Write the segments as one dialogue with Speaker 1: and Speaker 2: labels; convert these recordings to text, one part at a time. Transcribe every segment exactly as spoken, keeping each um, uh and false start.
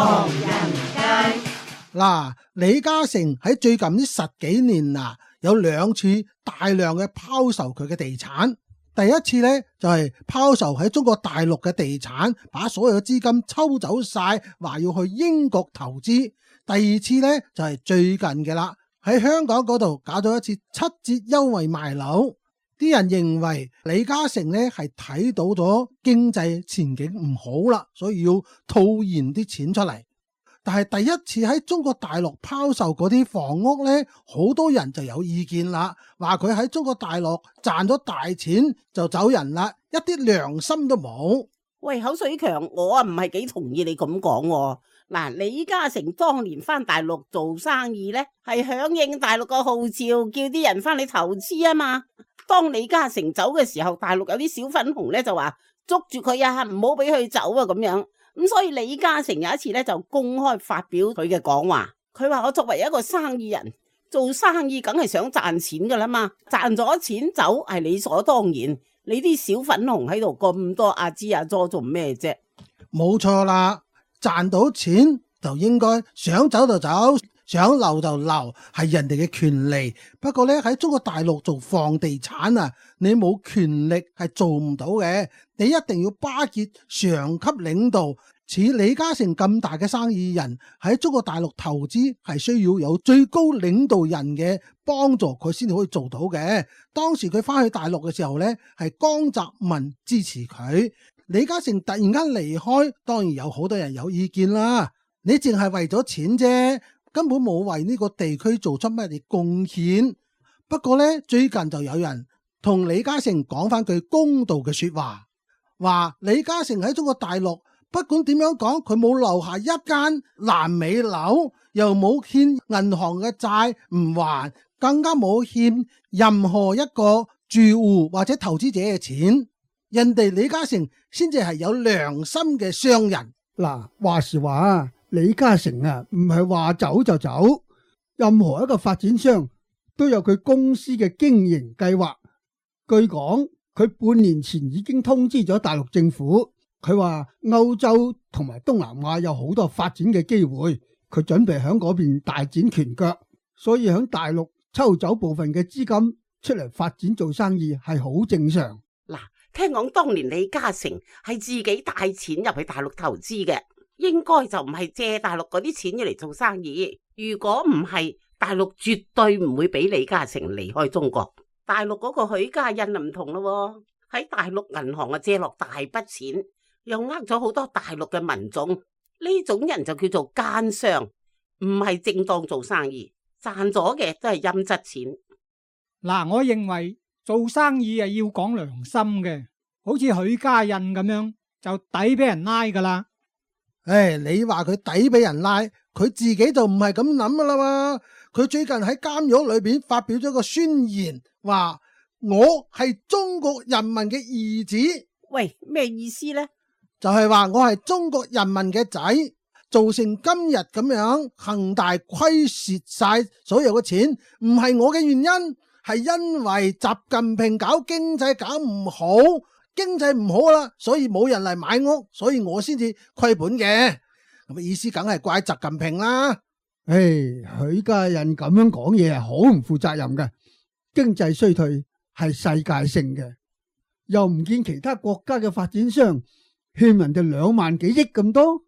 Speaker 1: 唐人街。
Speaker 2: 嗱，李嘉誠喺最近呢十幾年啊，有兩次大量嘅拋售佢嘅地產。第一次呢，就係拋售喺中國大陸嘅地產，把所有嘅資金抽走晒，話要去英國投資。第二次呢，就係最近嘅啦，喺香港嗰度搞咗一次七折優惠賣樓。啲人認為李嘉誠呢係睇到咗經濟前景唔好啦，所以要套現啲錢出嚟。但係第一次喺中國大陸拋售嗰啲房屋呢，好多人就有意見啦，話佢喺中國大陸賺咗大錢就走人啦，一啲良心都冇。
Speaker 3: 喂，口水強，我啊唔係幾同意你咁講喎。嗱，李嘉誠當年翻大陸做生意呢，係響應大陸個號召，叫啲人翻嚟投資啊嘛。當李嘉誠走嘅時候，大陸有啲小粉紅呢就話捉住佢啊，唔好俾佢走啊咁樣。咁所以李嘉誠有一次咧就公開發表佢嘅講話，佢話我作為一個生意人，做生意梗係想賺錢噶啦嘛，賺咗錢走係理所當然。你啲小粉紅喺度咁多阿支阿佐做咩啫？
Speaker 2: 冇錯啦，賺到錢就應該想走就走，想留就留，係人哋嘅權利。不過咧喺中國大陸做房地產啊，你冇權力係做唔到嘅，你一定要巴結上級領導。似李嘉誠咁大嘅生意人喺中國大陸投資，係需要有最高領導人嘅幫助，佢先至可以做到嘅。當時佢翻去大陸嘅時候呢，係江澤民支持佢。李嘉誠突然間離開，當然有好多人有意見啦。你淨係為咗錢啫，根本冇為呢個地區做出乜嘢貢獻。不過呢，最近就有人同李嘉誠講翻句公道嘅說話，話李嘉誠喺中國大陸不管點樣講，佢冇留下一間爛尾樓，又冇欠銀行嘅債唔還，更加冇欠任何一個住戶或者投資者嘅錢。人哋李嘉誠先至係有良心嘅商人。
Speaker 4: 嗱，話時話李嘉誠啊，唔係話走就走，任何一個發展商都有佢公司嘅經營計劃。據講，佢半年前已經通知咗大陸政府。佢話歐洲同埋東南亞有好多發展嘅機會，佢準備喺嗰邊大展拳腳，所以喺大陸抽走部分嘅資金出嚟發展做生意係好正常。
Speaker 3: 嗱，聽講當年李嘉誠係自己帶錢入去大陸投資嘅，應該就唔係借大陸嗰啲錢嚟做生意。如果唔係，大陸絕對唔會俾李嘉誠離開中國。大陸嗰個許家印就唔同咯，喺大陸銀行啊借落大筆錢，又呃咗好多大陸嘅民眾，呢種人就叫做奸商，唔係正當做生意，賺咗嘅都係陰質錢。
Speaker 5: 嗱，我認為做生意啊要講良心嘅，好似許家印咁樣就抵俾人拉噶啦。
Speaker 2: 唉，你話佢抵俾人拉，佢自己就唔係咁諗噶啦嘛。佢最近喺監獄裏邊發表咗個宣言，話我係中國人民嘅兒子。
Speaker 3: 喂，咩意思呢？
Speaker 2: 就係話我係中國人民嘅仔，造成今日咁樣恒大虧蝕晒所有嘅錢，唔係我嘅原因，係因為習近平搞經濟搞唔好，經濟唔好啦，所以冇人嚟買屋，所以我先至虧本嘅。咁意思梗係怪習近平啦。
Speaker 4: 唉，許家印咁樣講嘢係好唔負責任嘅，經濟衰退係世界性嘅，又唔見其他國家嘅發展商欠人哋兩萬幾億咁多，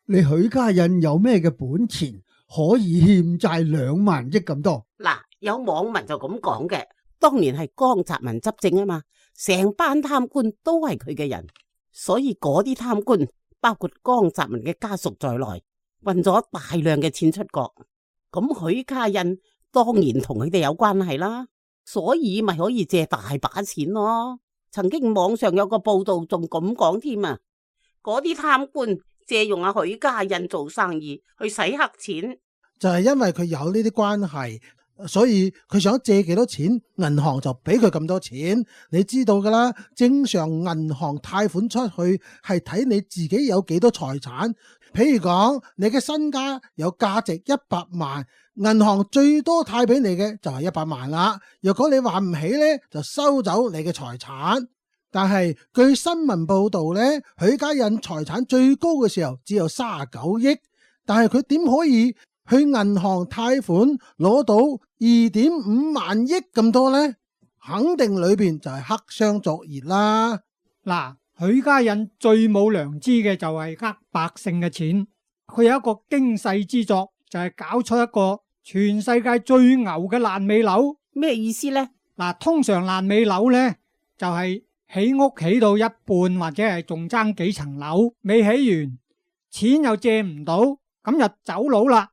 Speaker 4: 你許家印有咩嘅本錢可以欠債兩萬億咁多？
Speaker 3: 嗱，有網民就咁講嘅，當年係江澤民執政啊嘛，成班貪官都係佢嘅人，所以嗰啲貪官包括江澤民嘅家屬在內，運咗大量嘅錢出國，咁許家印當然同佢哋有關係啦，所以咪可以借大把錢咯。曾經網上有個報道仲咁講添啊，嗰啲貪官借用阿許家印做生意去洗黑錢，
Speaker 2: 就係因為佢有呢啲關係，所以佢想借幾多錢，銀行就俾佢咁多錢。你知道噶啦，正常銀行貸款出去係睇你自己有幾多財產。譬如講你嘅身家有價值一百萬，銀行最多貸俾你嘅就係一百萬啦。如果你還唔起呢，就收走你嘅財產。但係據新聞報道呢，許家印財產最高嘅時候只有三十九億，但係佢點可以去銀行貸款攞到二點五萬億咁多呢？肯定裏邊就係黑箱作業啦。
Speaker 5: 嗱，許家印最冇良知嘅就係呃百姓嘅錢。佢有一個驚世之作，就係搞出一個全世界最牛嘅爛尾樓。
Speaker 3: 咩意思呢？
Speaker 5: 嗱，通常爛尾樓呢，就係起屋起到一半或者係仲爭幾層樓未起完，錢又借唔到，咁就走佬啦。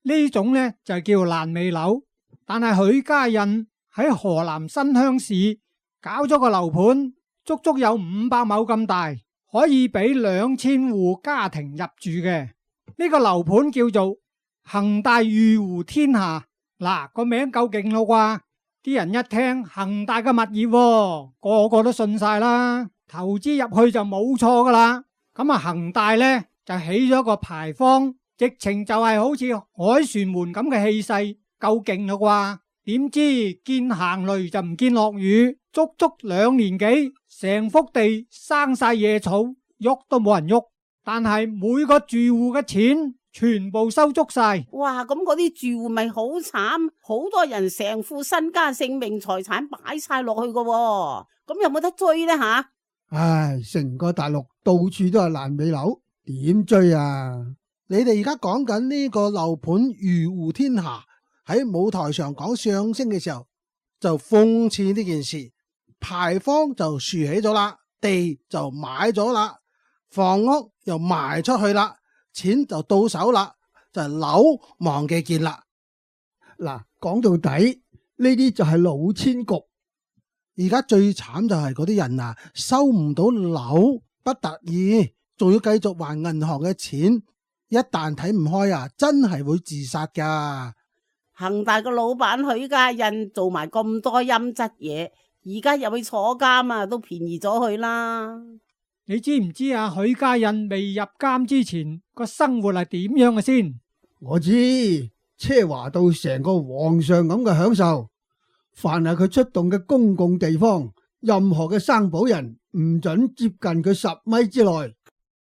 Speaker 5: 呢種呢，就叫爛尾樓。但係許家印喺河南新鄉市搞咗個樓盤，足足有五百畝咁大，可以俾兩千戶家庭入住嘅。呢個樓盤叫做恒大御湖天下。嗱，個名夠勁咯啩，啲人一聽恒大嘅物業喎，個個都信晒啦，投資入去就冇錯噶啦。咁啊，恒大呢，就起咗個牌坊，直情就係好似凱旋門咁嘅氣勢，夠勁咯啩。點知見行雷就唔見落雨，足足兩年幾，成幅地生晒野草，喐都冇人喐。但係每個住戶嘅錢全部收足晒。
Speaker 3: 哇！咁嗰啲住戶咪好慘，好多人成副身家性命財產擺晒落去噶，咁有冇得追呢？吓？
Speaker 4: 唉，成個大陸到處都係爛尾樓，點追啊？
Speaker 2: 你哋而家講緊呢個樓盤御湖天下，喺舞台上講相聲嘅時候就諷刺呢件事，牌坊就豎起咗啦，地就買咗啦，房屋又賣出去啦，錢就到手啦，就係樓忘記見啦。
Speaker 4: 嗱，講到底呢啲就係老千局。
Speaker 2: 而家最慘就係嗰啲人啊，收唔到樓不得已，仲要繼續還銀行嘅錢，一旦睇唔開啊，真係會自殺噶。
Speaker 3: 恒大個老闆許家印做埋咁多陰質嘢，而家入去坐監啊，都便宜咗佢啦。
Speaker 5: 你知唔知啊？許家印未入監之前個生活係點樣嘅先？
Speaker 4: 我知，奢華到成個皇上咁嘅享受。凡係佢出動嘅公共地方，任何嘅生保人唔准接近佢十米之內。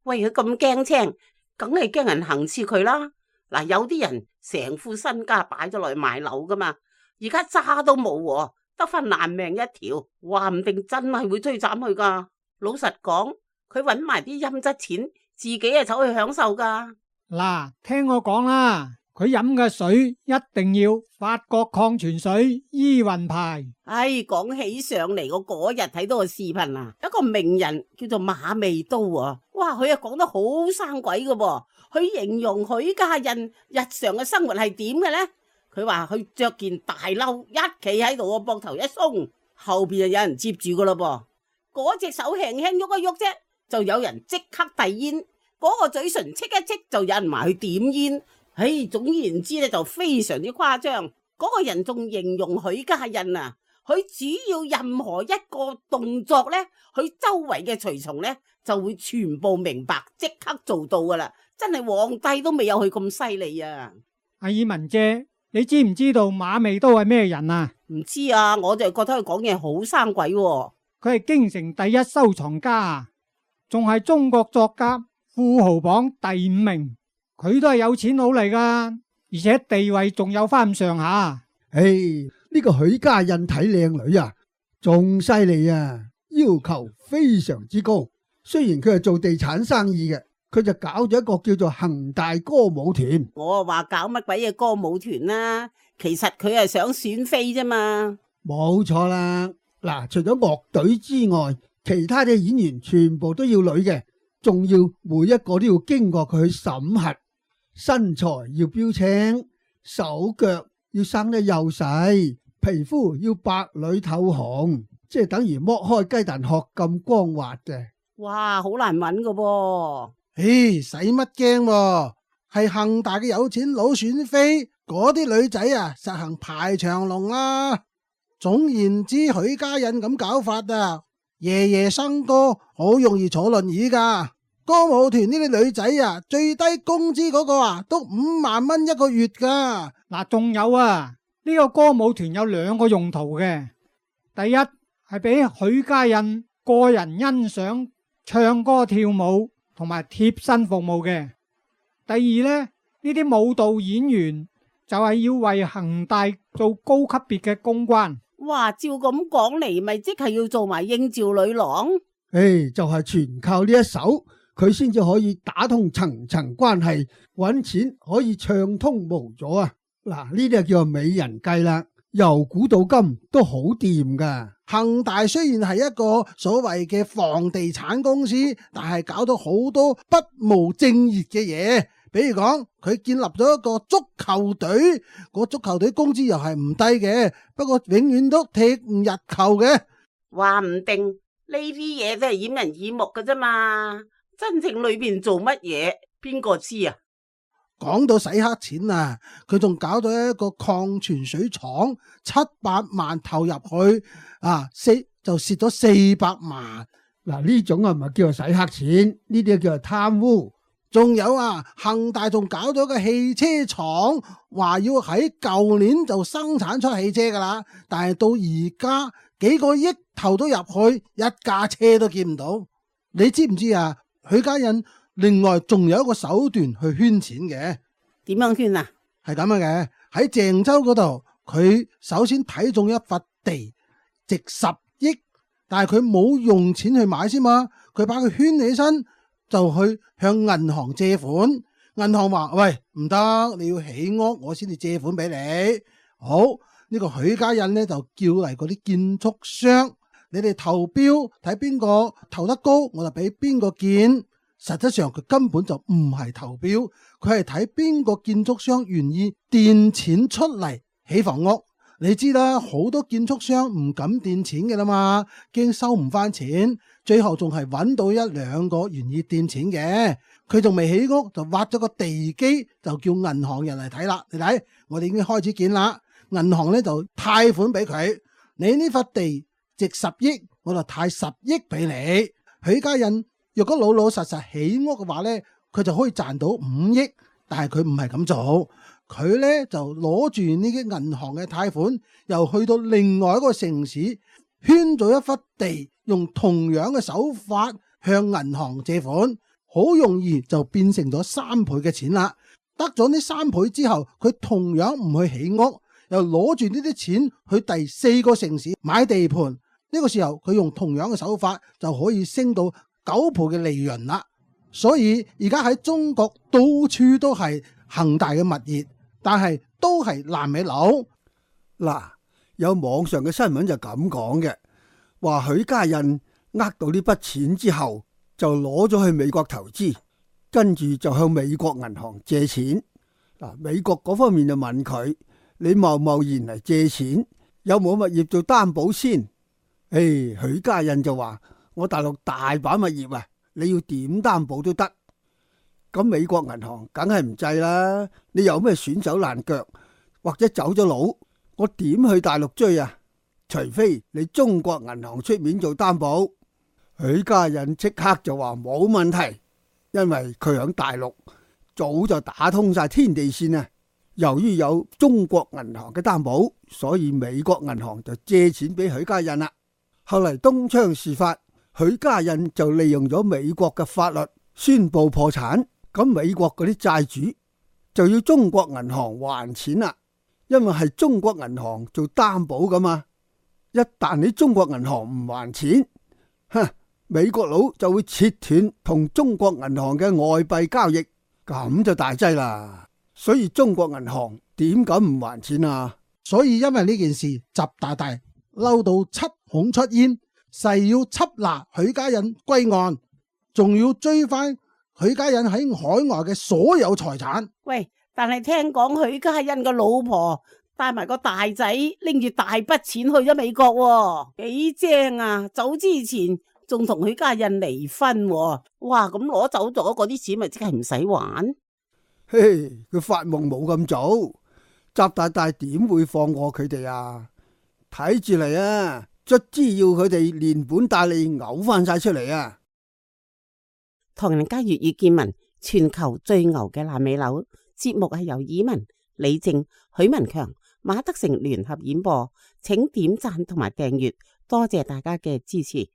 Speaker 3: 喂，佢咁驚青，梗係驚人行刺佢啦。嗱，有啲人成副身家擺咗落去買樓噶嘛，而家渣都冇，得翻爛命一條，話唔定真係會追斬佢噶。老實講，佢搵埋啲陰質錢，自己係走去享受噶。
Speaker 5: 嗱，聽我講啦。佢飲嘅水一定要法國礦泉水依雲牌。
Speaker 3: 唉，講起上嚟，我嗰日睇到個視頻啊，一個名人叫做馬未都啊，哇，佢啊講得好生鬼噶噃，佢形容許家印日常嘅生活係點嘅呢？佢話佢着件大褸，一企喺度個膊頭一鬆，後邊就有人接住噶咯噃，嗰隻手輕輕喐一喐啫，就有人即刻遞煙，嗰個嘴唇戚一戚就有人埋去點煙。唉，總言之咧就非常之誇張。嗰個人仲形容許家印啊，佢只要任何一個動作咧，佢周圍嘅隨從咧就會全部明白，即刻做到噶啦。真係皇帝都未有佢咁犀利啊！
Speaker 5: 阿爾文姐，你知唔知道馬未都係咩人啊？
Speaker 3: 唔知啊，我就覺得佢講嘢好生鬼喎。
Speaker 5: 佢係京城第一收藏家啊，仲係中國作家富豪榜第五名。佢都係有錢佬嚟噶，而且地位仲有翻咁上下。
Speaker 4: 唉，呢個許家印睇靚女啊，仲犀利啊，要求非常之高。雖然佢係做地產生意嘅，佢就搞咗一個叫做恒大歌舞團。
Speaker 3: 我話搞乜鬼嘢歌舞團啦，其實佢係想選妃啫嘛。
Speaker 4: 冇錯啦，嗱，除咗樂隊之外，其他嘅演員全部都要女嘅，仲要每一個都要經過佢去審核。身材要標青，手腳要生得幼細，皮膚要白裏透紅，即係等於剝開雞蛋殼咁光滑嘅。
Speaker 3: 哇，好難揾噶噃！
Speaker 2: 唉，使乜驚？係恒大嘅有錢佬選妃，嗰啲女仔啊，實行排長龍啦。總言之，許家印咁搞法啊，夜夜笙歌，好容易坐輪椅噶。歌舞團呢啲女仔啊，最低工資嗰個啊，都五萬蚊一個月噶。
Speaker 5: 嗱，仲有啊，呢個歌舞團有兩個用途嘅。第一係俾許家印個人欣賞、唱歌跳舞同埋貼身服務嘅。第二呢，呢啲舞蹈演員就係要為恒大做高級別嘅公關。
Speaker 3: 哇，照咁講嚟，咪即係要做埋應召女郎？
Speaker 4: 誒、哎，就係、是、全靠呢一手，佢先至可以打通層層關係，搵錢可以暢通無阻啊！嗱，呢啲就叫做美人計啦，由古到今都好掂噶。
Speaker 2: 恒大雖然係一個所謂嘅房地產公司，但係搞到好多不務正業嘅嘢。比如講，佢建立咗一個足球隊，個足球隊工資又係唔低嘅，不過永遠都踢唔入球嘅。
Speaker 3: 話唔定呢啲嘢都係掩人耳目㗎啫嘛，真正裏邊做乜嘢，邊個知啊？
Speaker 2: 講到洗黑錢啊，佢仲搞到一個礦泉水廠，七百萬投入去，啊，四就蝕咗四百萬。
Speaker 4: 嗱，呢種係咪叫做洗黑錢？呢啲叫做貪污。
Speaker 2: 仲有啊，恒大仲搞咗個汽車廠，話要喺舊年就生產出汽車噶啦，但係到而家幾個億投都入去，一架車都見唔到。你知唔知啊？許家印另外仲有一個手段去圈錢嘅。
Speaker 3: 點樣圈啊？
Speaker 2: 係咁樣嘅，喺鄭州嗰度，佢首先睇中一塊地，值十億，但係佢冇用錢去買先嘛，佢把佢圈起身。就去向銀行借款，銀行話：喂，唔得，你要起屋，我先至借款俾你。好，呢個許家印呢，就叫嚟嗰啲建築商，你哋投標睇邊個投得高，我就俾邊個建。實質上佢根本就唔係投標，佢係睇邊個建築商願意墊錢出嚟起房屋。你知啦，好多建築商唔敢墊錢嘅啦嘛，驚收唔翻錢。最後仲係揾到一兩個願意墊錢嘅，佢仲未起屋就挖咗個地基，就叫銀行人嚟睇啦。你睇，我哋已經開始建啦。銀行咧就貸款俾佢，你呢塊地值十億，我就貸十億俾你。許家印若果老老實實起屋嘅話咧，佢就可以賺到五億，但係佢唔係咁做，佢咧就攞住呢啲銀行嘅貸款，又去到另外一個城市圈咗一忽地。用同樣嘅手法向銀行借款，好容易就變成咗三倍嘅錢啦。得咗呢三倍之後，佢同樣唔去起屋，又攞住呢啲錢去第四個城市買地盤。呢個時候佢用同樣嘅手法就可以升到九倍嘅利潤啦。所以而家喺中國到處都係恒大嘅物業，但係都係爛尾樓。
Speaker 4: 嗱，有網上嘅新聞就咁講嘅。話許家印呃到呢筆錢之後，就攞咗去美國投資，跟住就向美國銀行借錢。嗱，美國嗰方面就問佢：你貿貿然嚟借錢，有冇物業做擔保先？誒，許家印就話：我大陸大把物業啊，你要點擔保都得。咁美國銀行梗係唔制啦，你有咩損手爛腳，或者走咗佬，我點去大陸追啊？除非你中國銀行出面做擔保。許家印即刻就話冇問題，因為佢響大陸早就打通晒天地線啊。由於有中國銀行嘅擔保，所以美國銀行就借錢俾許家印啦。後嚟東窗事發，許家印就利用咗美國嘅法律宣布破產，咁美國嗰啲債主就要中國銀行還錢啦，因為係中國銀行做擔保噶嘛。一旦你中國銀行唔還錢，哼，美國佬就會切斷同中國銀行嘅外幣交易，咁就大劑啦。所以中國銀行點敢唔還錢啊？
Speaker 2: 所以因為呢件事，習大大嬲到七孔出煙，誓要緝拿許家印歸案，仲要追翻許家印喺海外嘅所有財產。
Speaker 3: 喂，但係聽講許家印嘅老婆帶埋個大仔拎住大筆錢去咗美國喎，幾正啊！走之前仲同許家印離婚喎，哇！咁攞走咗嗰啲錢咪即係唔使還？
Speaker 4: 嘿，佢發夢冇咁早，習大大點會放過佢哋啊？睇住嚟啊，卒之要佢哋連本帶利嘔翻晒出嚟啊！
Speaker 3: 唐人街粵語見聞，全球最牛嘅爛尾樓節目係由以文、李正、許文強、馬德成聯合演播，請點讚同埋訂閱，多謝大家嘅支持。